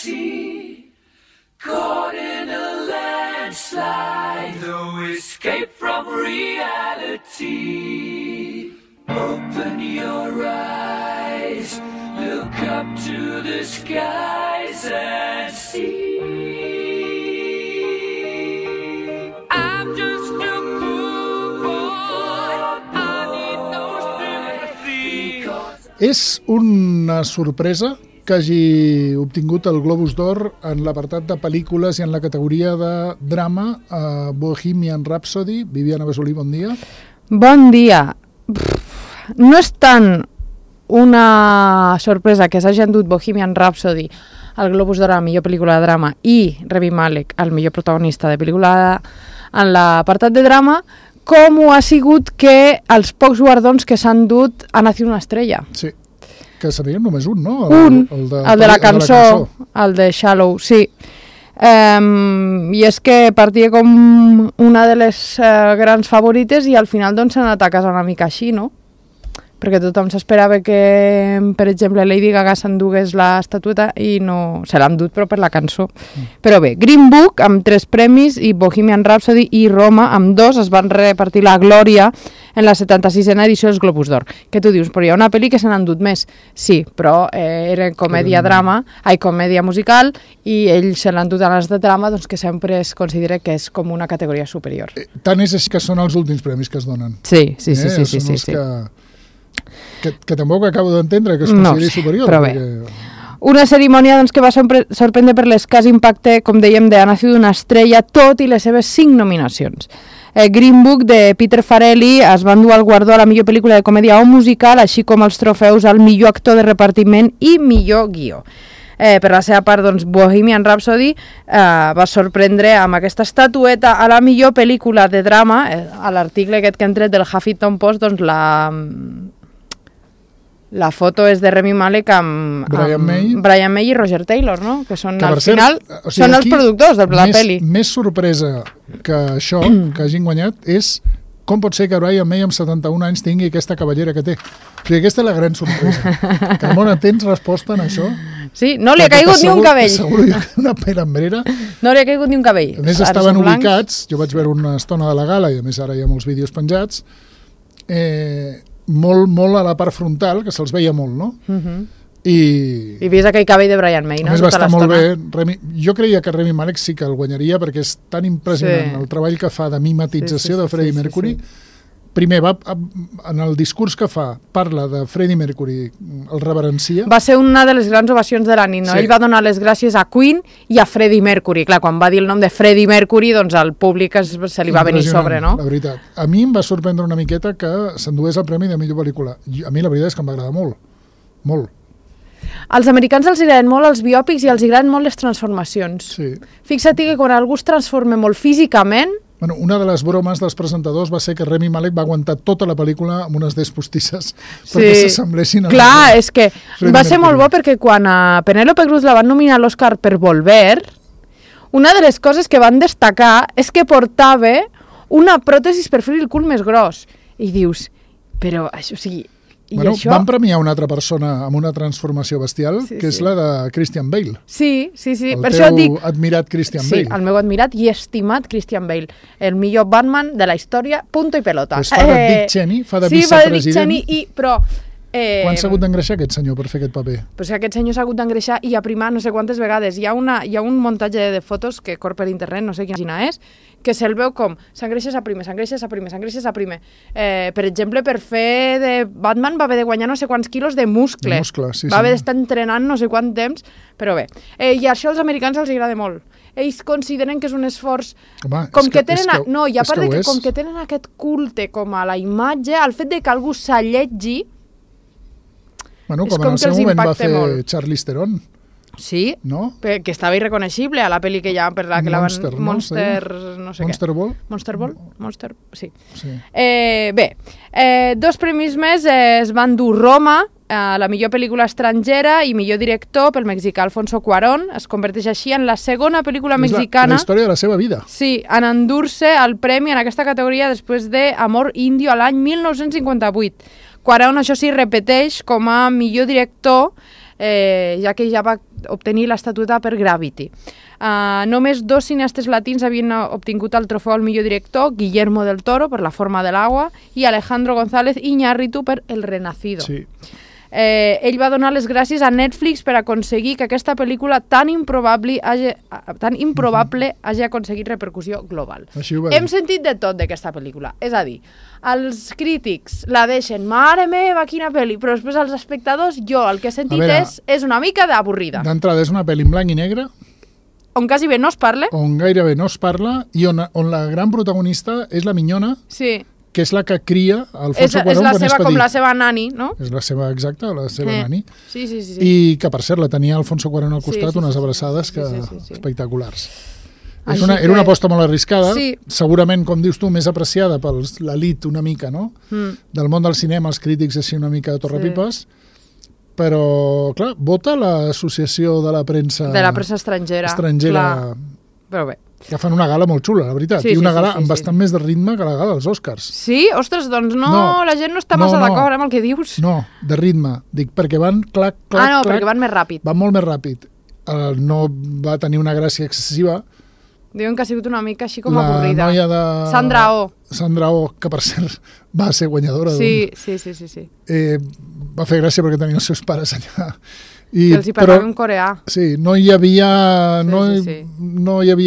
sea, caught in a landslide, no escape from reality. Open your eyes, look up to the skies and see. I'm just a poor boy, I need no sympathy. És una sorpresa que hagi obtingut el Globus d'Or en l'apartat de pel·lícules i en la categoria de drama a Bohemian Rhapsody. Viviana Besolí, bon dia. Bon dia. No és tant una sorpresa que s'hagi endut Bohemian Rhapsody al Globus d'Or a la millor pel·lícula de drama i Rami Malek al millor protagonista de pel·lícula en l'apartat de drama, com ho ha sigut que els pocs guardons que s'han dut ha nacido una estrella. Sí, que sabíem només un, no? El de la cançó, el de Shallow, sí. I és que partia com una de les grans favorites i al final doncs s'ha anat a casa una mica així, no? Perquè tothom s'esperava que, per exemple, Lady Gaga s'endugués l'estatueta i no se l'ha endut, però per la cançó. Però bé, Green Book amb 3 premis i Bohemian Rhapsody i Roma amb 2 es van repartir la glòria en la 76a edició dels Globus d'Or. Què tu dius? Però hi ha una pel·li que se n'ha endut més. Sí, però era comèdia musical i ell se l'ha endut a les de drama, doncs que sempre es considera que és com una categoria superior. Tant és així que són els últims premis que es donen. Sí. Que tampoc acabo d'entendre que es consideri superior. Però bé. Una cerimònia doncs, que va sorprendre per l'escàs impacte, com dèiem, de Ha nacido una estrella, tot i les seves 5 nominacions. Green Book de Peter Farrelly es va endur el guardó a la millor pel·lícula de comèdia o musical, així com els trofeus al millor actor de repartiment i millor guió. Per la seva part, doncs, Bohemian Rhapsody va sorprendre amb aquesta estatueta a la millor pel·lícula de drama. A l'article aquest que hem tret del Huffington Post, doncs la foto és de Rami Malek amb Brian May i Roger Taylor, no? Que són, al final, són els productors de la pel·li. Més sorpresa que això, que hagin guanyat, és com pot ser que Brian May amb 71 anys tingui aquesta cabellera que té. O sigui, aquesta és la gran sorpresa. Carmona, tens resposta en això? Sí, no li ha caigut ni un cabell. T'asseguro una pera enrere. No li ha caigut ni un cabell. A més, estaven ubicats, jo vaig veure una estona de la gala i a més ara hi ha molts vídeos penjats, molt a la part frontal, que se'ls veia molt, no? I vist aquell cabell de Brian May, no? A més va estar molt bé. Jo creia que Rami Malek sí que el guanyaria perquè és tan impressionant el treball que fa de mimetització de Freddie Mercury. Primer, en el discurs que fa, parla de Freddie Mercury, el reverencia. Va ser una de les grans ovacions de la nit, no? Sí. Ell va donar les gràcies a Queen i a Freddie Mercury. Clar, quan va dir el nom de Freddie Mercury, doncs al públic se li va venir sobre, no? La veritat. A mi em va sorprendre una miqueta que s'endués el premi de millor pel·lícula. A mi la veritat és que em va agradar molt. Molt. Als americans els agraden molt els biòpics i els agraden molt les transformacions. Sí. Fixa't que quan algú es transforma molt físicament... Bueno, una de les bromes dels presentadors va ser que Rami Malek va aguantar tota la pel·lícula amb unes dents postisses perquè s'assemblessin a... Clar, és que va ser molt bo perquè quan a Penélope Cruz la van nominar a l'Oscar per Volver, una de les coses que van destacar és que portava una pròtesis per fer el cul més gros. I dius, però això, o sigui... Bueno, van premiar una altra persona amb una transformació bestial, que és la de Christian Bale. Sí. El teu admirat Christian Bale. Sí, el meu admirat i estimat Christian Bale. El millor Batman de la història, punto i pelota. Pues fa de Dick Cheney, fa de vicepresident. Sí, fa de Dick Cheney, però... Quan s'ha hagut d'engreixar aquest senyor per fer aquest paper? Pues aquest senyor s'ha hagut d'engreixar i aprimar no sé quantes vegades. Hi ha un muntatge de fotos que corre per internet, no sé quina és, que se'l veu com s'engreixes a primer. Per exemple, per fer de Batman va haver de guanyar no sé quants quilos de muscle. Va haver d'estar entrenant no sé quant temps, però bé. I això als americans els agrada molt. Ells consideren que és un esforç... Home, com que tenen... No, i a part que com que tenen aquest culte com a la imatge, el fet de que algú s'alletgi... Bueno, com en el seu moment va fer Charlize Theron. Sí, no? Que estava irreconeixible a la pel·li que ja... Per la que Monster, la van, Monster, no sé Monster què. Ball? Monster Ball? Monster, sí. Bé, 2 premis més es van dur Roma, la millor pel·lícula estrangera i millor director pel mexicà Alfonso Cuarón. Es converteix així en la segona pel·lícula mexicana... La història de la seva vida. Sí, en endur-se el premi en aquesta categoria després de Amor Indio a l'any 1958. Cuarón, això sí, repeteix com a millor director ja que ja va obtenir l'estatueta per Gravity. Només 2 cineastes latins havien obtingut el trofeu al millor director, Guillermo del Toro per La forma de l'agua i Alejandro González Iñárritu per El Renacido. Sí. Ell va donar les gràcies a Netflix per aconseguir que aquesta pel·lícula tan improbable hagi aconseguit repercussió global. Hem sentit de tot d'aquesta pel·lícula. És a dir, els crítics la deixen, mare meva, quina pel·li, però després els espectadors, jo el que he sentit és una mica d'avorrida. D'entrada, és una pel·li en blanc i negre, on quasi bé no es parla. On gairebé no es parla, i on la gran protagonista és la minyona, sí, que és la que cria Alfonso Cuarón quan és petit. Com la seva nani, no? És la seva, exacta, la seva nani. Sí. I que, per cert, la tenia Alfonso Cuarón al costat, unes abraçades espectaculars. Era una aposta molt arriscada, segurament, com dius tu, més apreciada per l'elit una mica, no? Del món del cinema, els crítics així una mica torrepipes, però, clar, vota l'Associació de la Premsa... De la premsa estrangera. Però bé. Que fan una gala molt xula, la veritat. I una gala amb bastant més de ritme que la gala dels Oscars. Sí? Ostres, doncs la gent no està massa d'acord amb el que dius. No, de ritme. Dic, perquè van clac, clac, clac. Perquè van més ràpid. Van molt més ràpid. No va tenir una gràcia excessiva. Diuen que ha sigut una mica així com avorrida. La noia de... Sandra Oh, que per cert va ser guanyadora. Sí. Va fer gràcia perquè tenia els seus pares allà. Que els hi parlava en coreà. Sí, no hi havia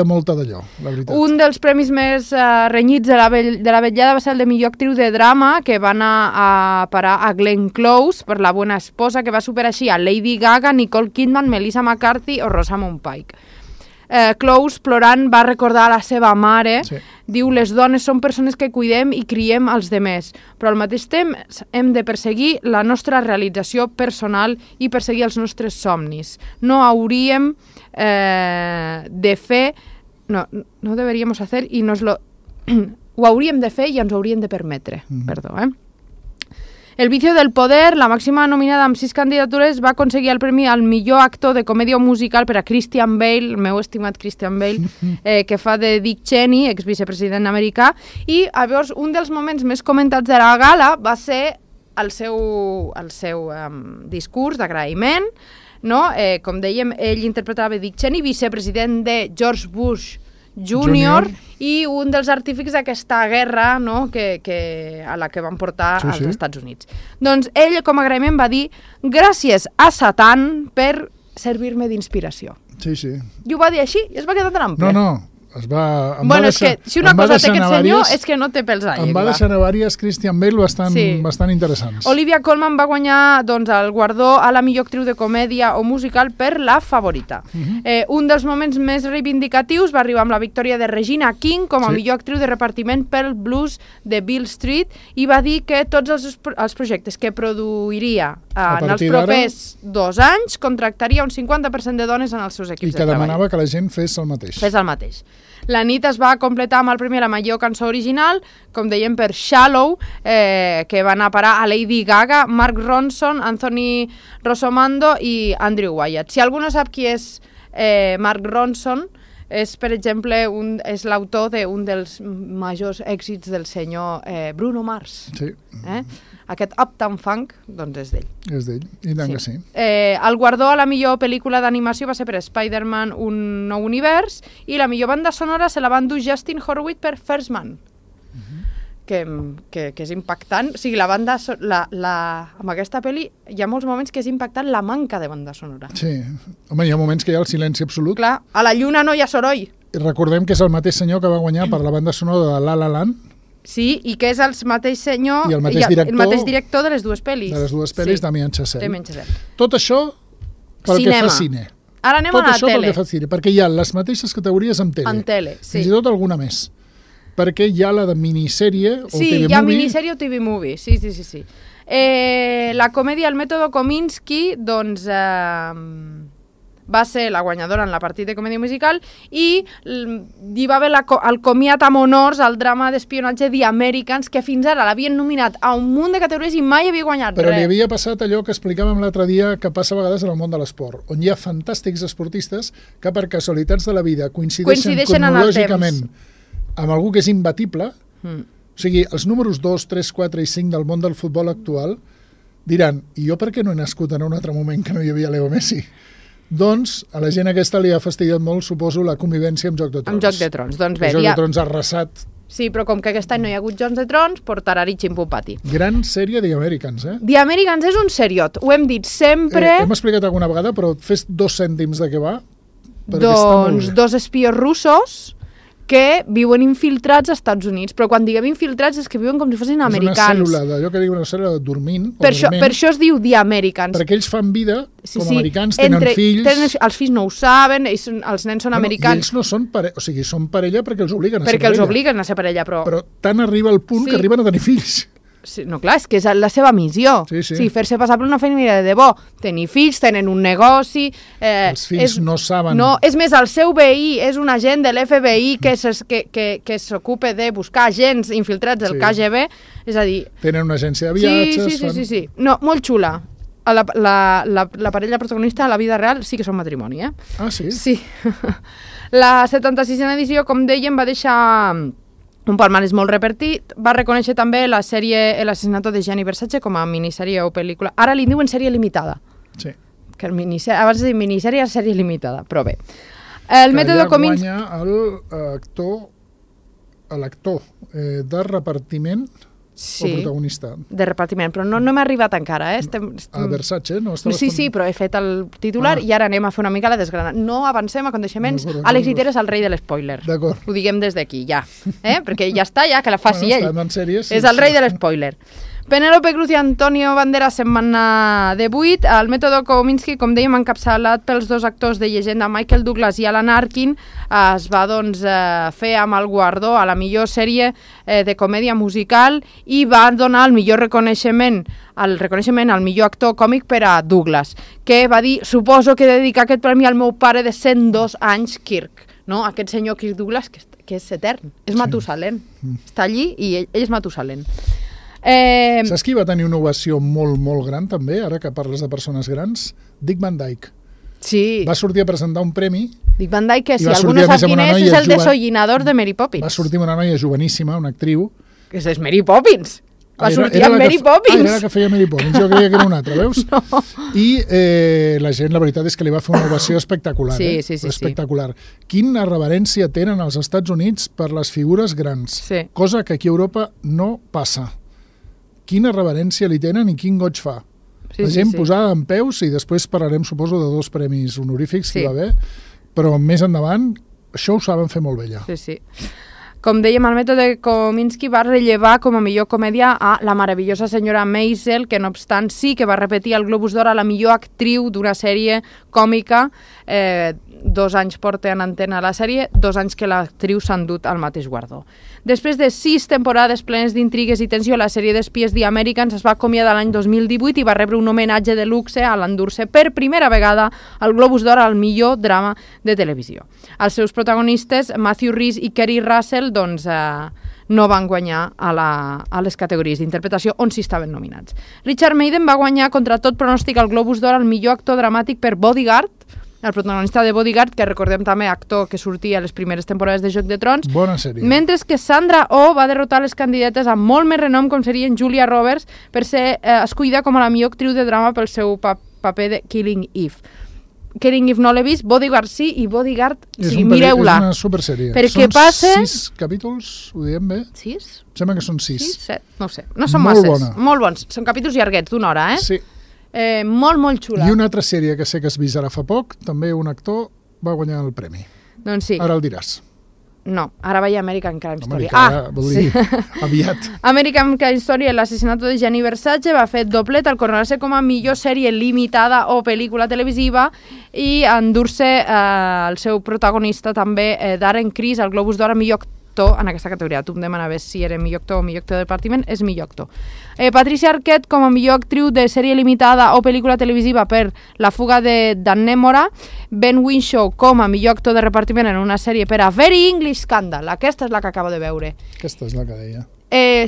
molta d'allò, la veritat. Un dels premis més renyits de la vetllada va ser el de millor actriu de drama, que va anar a parar a Glenn Close per La bona esposa, que va superar així a Lady Gaga, Nicole Kidman, Melissa McCarthy o Rosamund Pike. Close, plorant, va recordar a la seva mare, diu, les dones són persones que cuidem i criem els demés, però al mateix temps hem de perseguir la nostra realització personal i perseguir els nostres somnis. No hauríem de fer, no deberíamos hacer i nos lo... ho hauríem de fer i ens ho hauríem de permetre, perdó, El vicio del poder, la màxima nominada amb 6 candidatures, va aconseguir el premi al millor actor de comèdia musical per a Christian Bale, el meu estimat Christian Bale, que fa de Dick Cheney, exvicepresident americà, i llavors un dels moments més comentats de la gala va ser el seu discurs d'agraïment, no? Com dèiem, ell interpretava Dick Cheney, vicepresident de George Bush Junior, i un dels artífics d'aquesta guerra, no? a la que van portar als Estats Units. Doncs ell, com a agraïment, va dir gràcies a Satan per servir-me d'inspiració. Sí. I ho va dir així i es va quedar tan ample. No. És que si una cosa té aquest senyor és que no té pels a llengua. Em va deixar a diverses Christian Bale bastant interessants. Olivia Colman va guanyar el guardó a la millor actriu de comèdia o musical per La favorita. Un dels moments més reivindicatius va arribar amb la victòria de Regina King com a millor actriu de repartiment pel Blues de Beale Street i va dir que tots els projectes que produiria en els propers 2 anys contractaria un 50% de dones en els seus equips de treball. I que demanava que la gent fes el mateix. La nit es va completar amb el premi a la millor cançó original, com dèiem, per Shallow, que va anar a parar a Lady Gaga, Mark Ronson, Anthony Rossomando i Andrew Wyatt. Si algú no sap qui és Mark Ronson, és, per exemple, és l'autor d'un dels majors èxits del senyor Bruno Mars. Sí. Aquest Uptown Funk, doncs és d'ell. És d'ell, i tant que sí. El guardó a la millor pel·lícula d'animació va ser per Spider-Man Un nou univers i la millor banda sonora se la va endur Justin Horwitz per First Man. Que és impactant. O sigui, la banda... amb aquesta pel·li hi ha molts moments que és impactant la manca de banda sonora. Sí. Home, hi ha moments que hi ha el silenci absolut. Clar, a la lluna no hi ha soroll. I recordem que és el mateix senyor que va guanyar per la banda sonora de La La Land. Sí, i que és el mateix senyor i el mateix director de les dues pel·lis. De les dues pel·lis, Damien Chazelle. Chazelle. Tot això pel que fa cine. Ara anem a la tele. Tot això pel que fa cine, perquè hi ha les mateixes categories amb tele. En tele, sí. Fins i tot alguna més. Perquè hi ha la de minissèrie o TV Movie. Sí, hi ha minissèrie o TV Movie, sí. La comèdia El mètode Kominsky, doncs... va ser la guanyadora en la partida de comèdia musical i hi va haver el comiat amb honors al drama d'espionatge The Americans, que fins ara l'havien nominat a un munt de categories i mai havia guanyat res. Però li havia passat allò que explicàvem l'altre dia que passa a vegades en el món de l'esport, on hi ha fantàstics esportistes que per casualitats de la vida coincideixen cronològicament amb algú que és imbatible. O sigui, els números 2, 3, 4 i 5 del món del futbol actual Diran, i jo per què no he nascut en un altre moment que no hi havia Leo Messi? Doncs a la gent aquesta li ha fastidiat molt, suposo, la convivència amb Joc de Trons. Amb Joc de Trons, doncs bé. Joc de Trons ha arrasat. Sí, però com que aquest any no hi ha hagut Jocs de Trons, portarà-hi ximpupati. Gran sèrie The Americans, eh? The Americans és un seriot, ho hem dit sempre. Hem explicat alguna vegada, però fes 2 cèntims de què va. Doncs 2 espies russos que viuen infiltrats als Estats Units, però quan diguem infiltrats és que viuen com si fossin americans. És una cèl·lula, d'allò que diuen una cèl·lula dormint. Per això es diu The Americans. Perquè ells fan vida com americans, tenen fills... Els fills no ho saben, els nens són americans. I ells no són parella, o sigui, són parella perquè els obliguen a ser parella. Perquè els obliguen a ser parella, però... Però tant arriba el punt que arriben a tenir fills. Sí, no, clar, és que és la seva missió. Sí. Fer-se passar per una família de debò. Tenir fills, tenen un negoci... Els fills no saben... No, és més, el seu veí és un agent de l'FBI que s'ocupa de buscar agents infiltrats del KGB, és a dir... Tenen una agència de viatges... Sí. No, molt xula. La parella protagonista a la vida real sí que són matrimoni, eh? Ah, sí? Sí. La 76a edició, com dèiem, va deixar... un palmarès molt repartit. Va reconèixer també la sèrie El asesinato de Gianni Versace com a minissèrie o pel·lícula. Ara li diuen sèrie limitada. Sí. Que abans de dir minissèrie, sèrie limitada, però bé. El mètode Kominsky... guanya l'actor de repartiment o protagonista. De repartiment, però no hem arribat encara. A Versace, no? Sí, però he fet el titular i ara anem a fer una mica la desgrana. No avancem a coneixements. Àlex Lliter és el rei de l'espoiler. D'acord. Ho diguem des d'aquí, ja. Perquè ja està, ja, que la faci ell. Sèries, és el rei de l'espoiler. Penélope Cruz i Antonio Banderas se'n van anar de 8. El mètode Kominsky, com dèiem, encapçalat pels 2 actors de llegenda, Michael Douglas i Alan Arkin, es va fer amb el guardó a la millor sèrie de comèdia musical i va donar el millor reconeixement al millor actor còmic per a Douglas, que va dir, suposo que dedicar aquest premi al meu pare de 102 anys, Kirk. No? Aquest senyor Kirk Douglas, que és etern, és Matusalén. Està allí i ell és Matusalén. Saps qui va tenir una ovació molt, molt gran també, ara que parles de persones grans? Dick Van Dyke. Sí. Va sortir a presentar un premi. Dick Van Dyke, que si algú no sap quin és el desollinador de Mary Poppins. Va sortir una noia joveníssima, una actriu. Que és Mary Poppins. Va sortir amb Mary Poppins. Era la que feia Mary Poppins, jo creia que era una altra, veus? No. I la gent, la veritat és que li va fer una ovació espectacular. Sí. Espectacular. Quina reverència tenen als Estats Units per les figures grans. Sí. Cosa que aquí a Europa no passa. Quina reverència li tenen i quin goig fa. La gent posada en peus, i després parlarem, suposo, de 2 premis honorífics que hi va haver, però més endavant això ho saben fer molt bé ja. Sí. Com dèiem, el mètode Kominsky va rellevar com a millor comèdia a la meravellosa senyora Maisel, que no obstant sí que va repetir el Globus d'Or a la millor actriu d'una sèrie còmica. 2 anys porta en antena la sèrie, 2 anys que l'actriu s'ha endut al mateix guardó. Després de 6 temporades plenes d'intrigues i tensió, la sèrie d'espies The Americans es va acomiadar l'any 2018 i va rebre un homenatge de luxe a l'endur-se per primera vegada al Globus d'Or al millor drama de televisió. Els seus protagonistes, Matthew Rhys i Kerry Russell, doncs no van guanyar a les categories d'interpretació on s'hi estaven nominats. Richard Madden va guanyar contra tot pronòstic el Globus d'Or al millor actor dramàtic per Bodyguard, el protagonista de Bodyguard, que recordem també actor que sortia a les primeres temporades de Joc de Trons. Bona sèrie. Mentre que Sandra Oh va derrotar les candidates amb molt més renom, com serien Julia Roberts, per ser escollida com a la millor actriu de drama pel seu paper de Killing Eve. Killing Eve no l'he vist, Bodyguard sí, i Bodyguard, mireu-la. És una supersèrie. Perquè són 6 capítols, ho diem bé? 6? Em sembla que són 6. 6, 7, no sé. No són masses. Molt bons. Són capítols llarguets, d'una hora, Sí. Molt xula. I una altra sèrie que sé que has vist ara fa poc, també un actor va guanyar el premi. Doncs sí. Ara el diràs. No, ara veia American Crime Story. Vol dir, aviat. American Crime Story, l'assassinato de Gianni Versace, va fer doblet al coronar-se com a millor sèrie limitada o pel·lícula televisiva i endur-se el seu protagonista també, Darren Criss, al Globus d'Or a millor actor en aquesta categoria. Tu em demanaves si era millor actor o millor actor de repartiment, és millor actor. Patricia Arquette com a millor actriu de sèrie limitada o pel·lícula televisiva per La fuga de Dan Nemora, Ben Whishaw com a millor actor de repartiment en una sèrie per a Very English Scandal. Aquesta és la que acabo de veure. Aquesta és la que deia.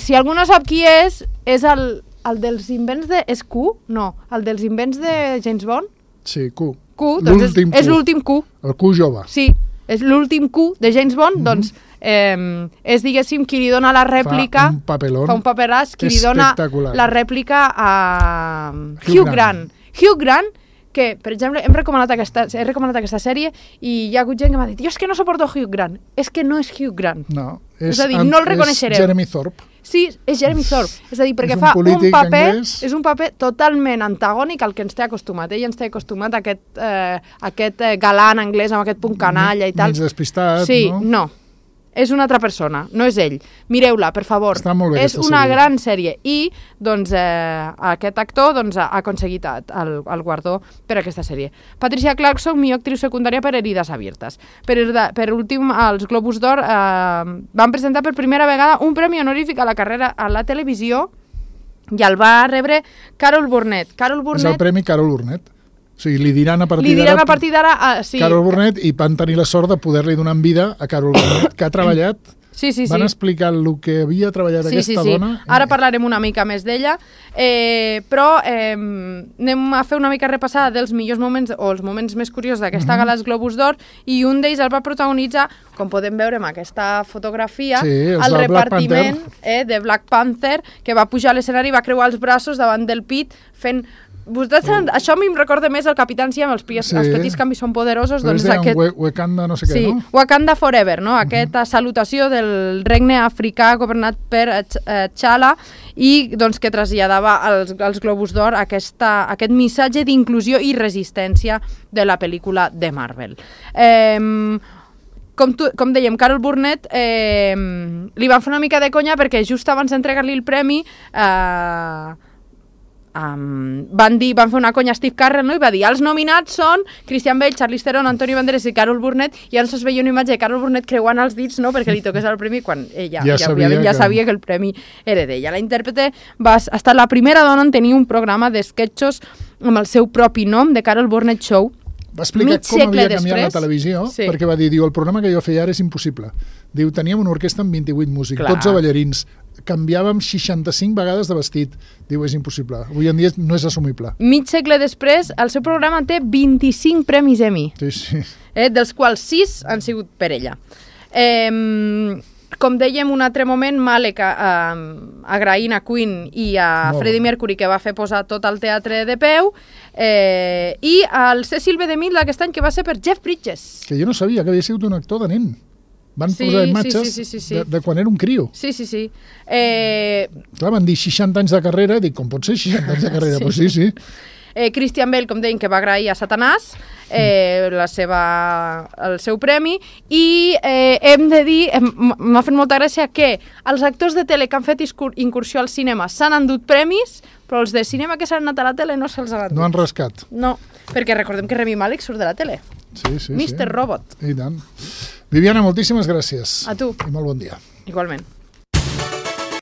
Si algú no sap qui és el dels invents de... És Q? No, el dels invents de James Bond? Sí, Q. Q, doncs és l'últim Q. El Q jove. Sí, és l'últim Q de James Bond, doncs és, diguéssim, qui li dona la rèplica... Fa un paperàs, qui li dona la rèplica a Hugh Grant. Hugh Grant, que, per exemple, he recomanat aquesta sèrie i hi ha hagut gent que m'ha dit jo és que no suporto Hugh Grant. És que no és Hugh Grant. No, és a dir, no el reconeixereu. És Jeremy Thorpe. Sí, és Jeremy Thorpe. És a dir, perquè fa un paper totalment antagònic al que ens té acostumat. Ell ens té acostumat a aquest galant anglès amb aquest punt canalla i tal. Mig despistat, sí, no? No. És una altra persona, no és ell. Mireu-la, per favor. Està molt bé, és una gran sèrie. I doncs, aquest actor doncs, ha aconseguit el guardó per aquesta sèrie. Patricia Clarkson, millor actriu secundària per Heridas Abiertas. Per últim, els Globus d'Or van presentar per primera vegada un premi honorífic a la carrera a la televisió i el va rebre Carol Burnett. És el premi Carol Burnett. O sigui, li diran a partir d'ara... Sí. Carol Burnett, i van tenir la sort de poder-li donar vida a Carol Burnett, que ha treballat... Sí. Van explicar el que havia treballat aquesta dona. Ara parlarem una mica més d'ella, però anem a fer una mica repassada dels millors moments o els moments més curiosos d'aquesta gala dels Globus d'Or, i un d'ells el va protagonitzar, com podem veure en aquesta fotografia, el repartiment de Black Panther, que va pujar a l'escenari i va creuar els braços davant del pit fent... Això a mi em recorda més el Capitán Si amb els petits canvis són poderosos. Però doncs aquest... Wakanda no sé què, no? Wakanda Forever, no? Aquesta salutació del regne africà governat per T'Challa i doncs, que traslladava als Globus d'Or aquest missatge d'inclusió i resistència de la pel·lícula de Marvel. Com dèiem, Carol Burnett li van fer una mica de conya perquè just abans d'entregar-li el premi van fer una conya a Steve Carell, no? I va dir, els nominats són Christian Bale, Charlize Theron, Antonio Banderas i Carol Burnett, i llavors es veia una imatge de Carol Burnett creuant els dits, no?, perquè li toqués el premi quan ella ja sabia que el premi era d'ella. La intèrprete ha estat la primera dona en tenir un programa d'esquetxos amb el seu propi nom, The Carol Burnett Show. Va explicar com havia canviat la televisió, perquè va dir, el programa que jo feia ara és impossible. Diu, teníem una orquestra amb 28 músics, 12 ballarins, canviàvem 65 vegades de vestit. Diu, és impossible. Avui en dia no és assumible. Mig segle després, el seu programa té 25 premis Emmy. Sí. Dels quals 6 han sigut per ella. Com dèiem, un altre moment, Malek agraint a Queen i a Freddie Mercury, que va fer posar tot el teatre de peu, i al Cecil B. DeMille d'aquest any, que va ser per Jeff Bridges. Que jo no sabia que havia sigut un actor de nen. Van posar imatges de quan era un crio. Sí. Clar, van dir 60 anys de carrera, dic, com pot ser 60 anys de carrera? Pues sí. Christian Bale, com deien, que va agrair a Satanàs el seu premi, i hem de dir, m'ha fet molta gràcia que els actors de tele que han fet incursió al cinema s'han endut premis, però els de cinema que s'han anat a la tele no se'ls han endut. No han rascat. No, perquè recordem que Rami Malek surt de la tele. Sí. Mr. Robot. I tant. Viviana, moltíssimes gràcies. A tu. I molt bon dia. Igualment.